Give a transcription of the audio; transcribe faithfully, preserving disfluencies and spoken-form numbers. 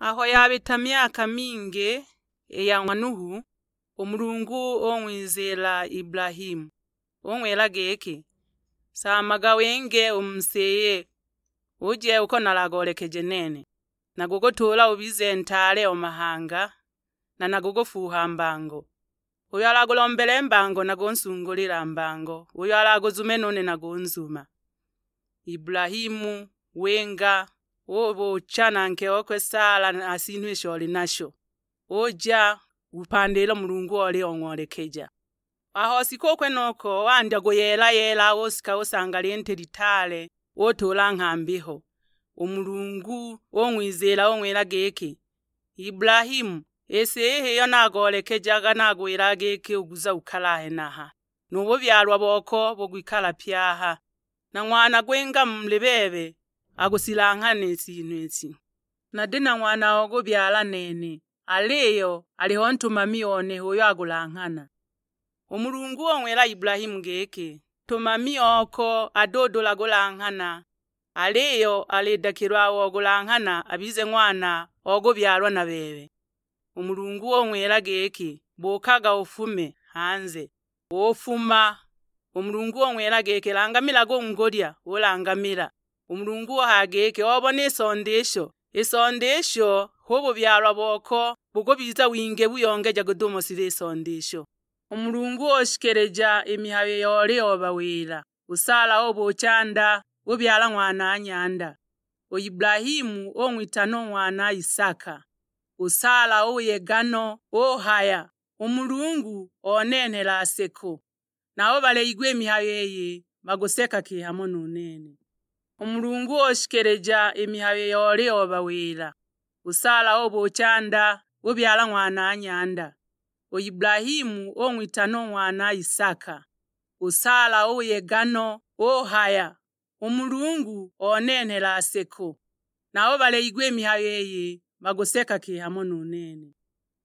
Aho yabita myaka mingi i ya ng'wa Nuhu, u Mulungu ung'wizila Ibulahimu, ung'wila giki, "Saamaga winge u mu si iyi, uje uko nalagoolekeje nene. Nagukutuula ubize ntaale o mahanga, na nagukufuuha mbango. Uyo alagulombele mbango nagunsungulila mbango, uyo alaguzume nune nagunzuma." Ibulahimu winga, ubucha na nke okwe Sala na sinhu isho oli nasho, uja upandile u Mulungu oli ong'olekeja. Aho sika u kwenuko wandya kuyeela-yeela, usika usanga linti litaale, utuula nghambi ho. U Mulungu ung'wizila ung'wila giki, "Ibulahimu, i si iyi h'iyo nagoolekejaga nagwila giki uguza ukale a henaha, nu bubyalwa boko bugwikala pye aha. Na ng'wana gwinga muli bebe agusilanghane i sinhu isi. Nati na ng'wana ogubyala nene, aliyo aliho ntumami one h'uyo agulanghana." U Mulungu ung'wila Ibulahimu giki, "Ntumami oko adudula gulanghana, aliyo alidakilwa ogulanghana abize ng'wana ogubyalwa na bebe." U Mulungu ung'wila giki, "Bukaga ufume hanze." Ufuma. U Mulungu ung'wila giki, "Langamilaga u ngulya." Ulangamila. U Mulungu uhaya giki, "Obona i sonda isho? I sonda isho hu bubyalwa boko, bukubiza wingi buyongeja gudumo sila i sonda isho." U Mulungu ushikilija i mihayo iyo oli obawila. U Sala ubucha nda, ubyala ng'wana nyanda. U Ibulahimu ung'witana u ng'wana Isaka. U Sala uyega no, uhaya, "U Mulungu onenhela seko, nabo baleyigwa i mihayo iyi baguseka kihamo nu nene." U Mulungu ushikilija i mihayo iyo oli obawila. U Sala ubucha nda, ubyala ng'wana nyanda. U Ibulahimu ung'witana u ng'wana Isaka. U Sala uyega no, uhaya, "U Mulungu onenhela seko, nabo baleyigwa i mihayo iyi baguseka kihamo nu nene."